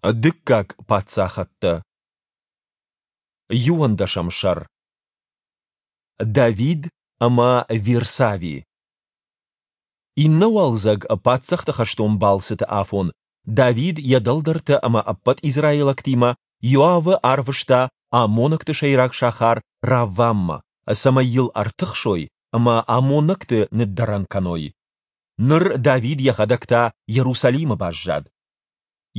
Дыккаг паддзахӕдтӕ. Иуӕндӕсӕм сӕр. Давид ӕмӕ Вирсави. Иннӕ уалдзӕг паддзӕхты хӕстон балцыты афон Давид йӕ дӕлдӕртӕ ӕмӕ ӕппӕт израилӕгтимӕ Иоавы арвыста аммонӕгты сӕйраг сахар Равваммӕ, цӕмӕй йыл ӕртыхсой ӕмӕ аммонӕгты ныддӕрӕн кӕной. Ныр Давид йӕхӕдӕг та Иерусалимы баззад.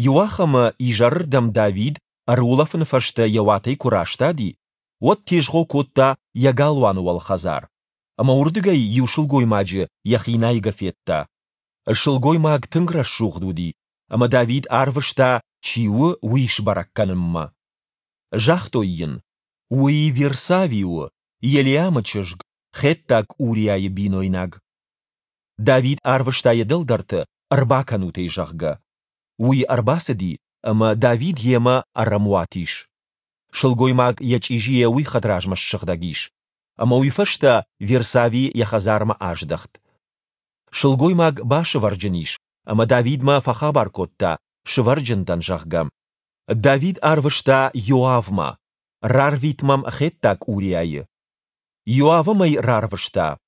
Иуахӕмы изӕрырдӕм Давид ӕрулӕфыны фӕстӕ йӕ уатӕй куы растади, уӕд тезгъо кодта йӕ галуаны уӕлхӕдзар, ӕмӕ уырдыгӕй иу сылгоймаджы йӕхи найгӕ федта. Сылгоймаг тынг рӕсугъд уыди, ӕмӕ Давид арвыста, чи у, уый сбӕрӕг кӕнынмӕ. Загътой йын, Уый Вирсави у, Елиамы чызг, хеттаг Уриайы бинойнаг. Давид арвыста йӕ дӕлдӕрты, ӕрбакӕнут ӕй, зӕгъгӕ. Уый ӕрбацыди, ӕмӕ Давид йемӕ ӕрӕмуат ис. Сылгоймаг йӕ чъизийӕ уый хӕдразмӕ ссыгъдӕг ис. Ӕмӕ уый фӕстӕ Вирсави йӕ хӕдзармӕ аздӕхт. Сылгоймаг басывӕрджын ис, ӕмӕ Давидмӕ фӕхабар кодта, сывӕрджын дӕн, зӕгъгӕ. Давид арвыста Иоавмӕ, рарвит мӕм хеттаг Уриайы. Иоав ӕм ӕй рарвыста.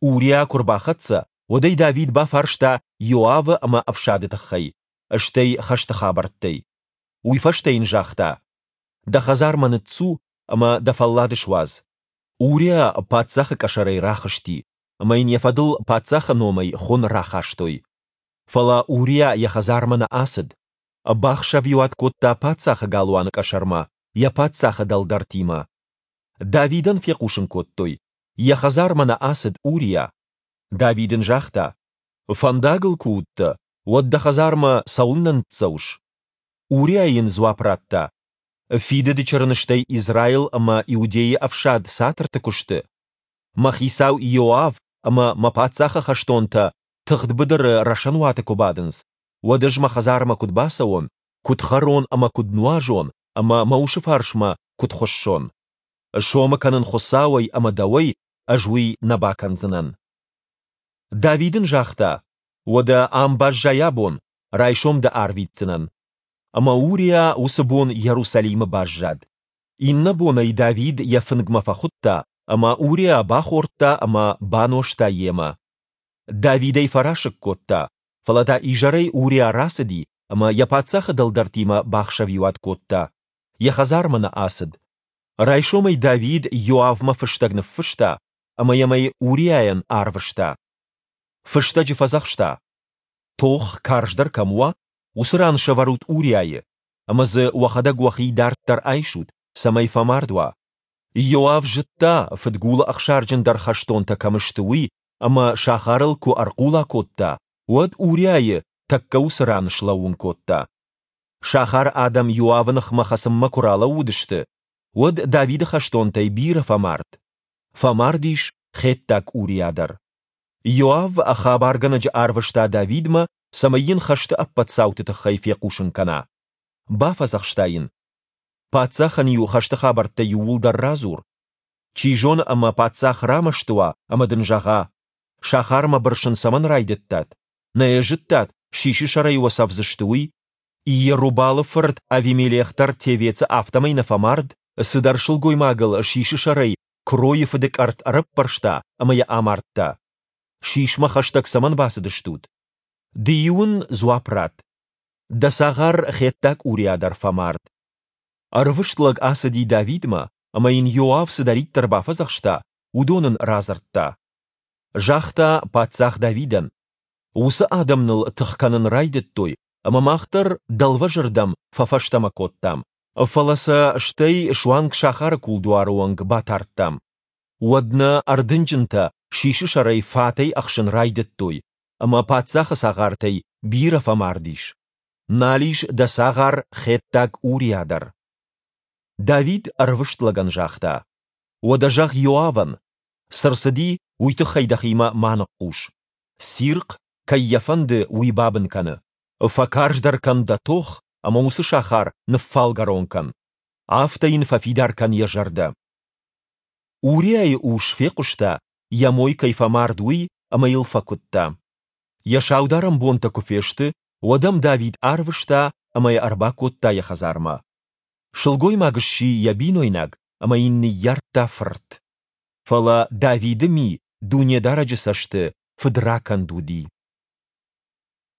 Уриа куы рбахӕццӕ, уӕд ӕй Давид бафарста Иоавы ӕмӕ ӕфсады тыххӕй, стӕй хӕсты хабӕрттӕй. Уый фӕстӕ йын загъта, Дӕ хӕдзармӕ ныццу ӕмӕ дӕ фӕллад суадз. Уриа паддзахы къӕсӕрӕй рахызти, ӕмӕ йын йӕ фӕдыл паддзахы номӕй хуын рахастой. Фӕлӕ Уриа йӕ хӕдзармӕ нӕ ацыд. Бахсӕвиуат кодта паддзахы галуаны къӕсӕрмӕ йӕ паддзахы дӕлдӕртимӕ. Давидӕн фехъусын кодтой, йӕ хӕдзармӕ нӕ ацыд Уриа. Давид ын загъта, Фӕндагыл куы уыдтӕ, уӕд дӕ хӕдзармӕ цӕуылнӕ ныццӕуыс? Уриа йын дзуапп радта, Фидыды чырыныстӕй Израил ӕмӕ Иудейы ӕфсад цатырты куы сты. Мӕ хицау Иоав ӕмӕ мӕ паддзахы хӕстонтӕ тыгъд быдыры рӕсӕнуаты куы бадынц, уӕд ӕз мӕ хӕдзармӕ куыд бацӕуон, куыд хӕрон ӕмӕ куыд нуазон ӕмӕ мӕ усы фарсмӕ куыд хуыссон? Сомы кӕнын Хуыцауӕй ӕмӕ дӕуӕй, ӕз уый нӕ бакӕндзынӕн. Давид ын загъта, Уӕдӕ ам баззай абон, райсом дӕ арвитдзынӕн. Ӕмӕ Уриа уыцы бон Иерусалимы баззад. Иннӕ бон ӕй Давид йӕ фынгмӕ фӕхуыдта, ӕмӕ Уриа бахордта ӕмӕ банозта йемӕ. Давид ӕй фӕрасыг кодта, фӕлӕ та изӕрӕй Уриа рацыди ӕмӕ йӕ паддзахы дӕлдӕртимӕ бахсӕвиуат кодта. Йӕ хӕдзармӕ нӕ ацыд. Райсомӕй Давид Иоавмӕ фыстӕг ныффыста ӕмӕ йӕм ӕй Уриайӕн арвыста. Фыстӕджы фӕдзӕхста: Тох карздӕр кӕм уа, уыцы ран сӕвӕрут Уриайы, ӕмӕ дзы уӕхӕдӕг уӕхи дарддӕр айсут, цӕмӕй фӕмард уа. Иоав зыдта, фыдгулы ӕхсарджындӕр хӕстонтӕ кӕм сты, уый, ӕмӕ сахарыл куы ӕрхъула кодта, уӕд Уриайы тӕккӕ уыцы ран слӕууын кодта. Сахары адӕм Иоавы ныхмӕ хӕцынмӕ куы ралӕууыдысты, уӕд Давиды хӕстонтӕй бирӕ фӕмард. Фӕмард ис хеттаг Уриа дӕр. Иоав хабаргӕнӕджы арвыста Давидмӕ, цӕмӕй йын хӕсты ӕппӕт цауты тыххӕй фехъусын кӕна. Бафӕдзӕхста йын: Паддзахӕн-иу хӕсты хабӕрттӕ иууылдӕр радзур. Чи зоны ӕмӕ паддзах рамӕсты уа ӕмӕ дын зӕгъа, сахармӕ бырсын цӕмӕн райдыдтат? Нӕ йӕ зыдтат, сисы сӕрӕй уӕ цӕвдзысты, уый? Иерубалы фырт Авимелех дӕр Тевецы афтӕмӕй нӕ фӕмард? Цыдӕр сылгоймагыл сисы сӕрӕй куыройы фыды къӕртт ӕрӕппӕрста ӕмӕ йӕ амардта. Сисмӕ хӕстӕг цӕмӕн бацыдыстут? Ды-иу ын дзуапп ратт. Дӕ цагъар хеттаг Уриа дӕр фӕмард. Ӕрвыст лӕг ацыди Давидмӕ, ӕмӕ йын Иоав цыдӕриддӕр бафӕдзӕхста, уыдон ын радзырдта. Загъта паддзах Давидӕн, Уыцы адӕм ныл тых кӕнын райдыдтой, ӕмӕ мах дӕр дӕлвӕзырдӕм фӕфӕстӕмӕ кодтам, фӕлӕ сӕ стӕй суанг сахары кулдуары онг батардтам. Уӕд нӕ ӕрдынджынтӕ сисы сӕрӕй фатӕй ӕхсын райдыдтой, ӕмӕ паддзахы цагъартӕй бирӕ фӕмард ис. Нал ис дӕ цагъар хеттаг Уриа дӕр. Давид ӕрвыст лӕгӕн загъта, Уӕдӕ зӕгъ Иоавӕн, цы рцыди, уый тыххӕй дӕхимӕ ма ныхъхъус. Цирхъ, кӕй йӕ фӕнды, уый бабын кӕны. Фӕкарздӕр кӕн дӕ тох ӕмӕ уыцы сахар ныффалгӕрон кӕн. Афтӕ йын фӕфидар кӕн йӕ зӕрдӕ. Уриайы ус фехъуыста, йӕ мой кӕй фӕмард, уый ӕмӕ йыл фӕкуыдта. Йӕ саударӕн бонтӕ куы фесты, уӕд ӕм Давид арвыста ӕмӕ йӕ ӕрбакодта йӕ хӕдзармӕ. Сылгоймаг сси йӕ бинойнаг ӕмӕ йын ныййардта фырт. Фӕлӕ Давиды ми Дунедарӕджы цӕсты фыдракӕнд уыди.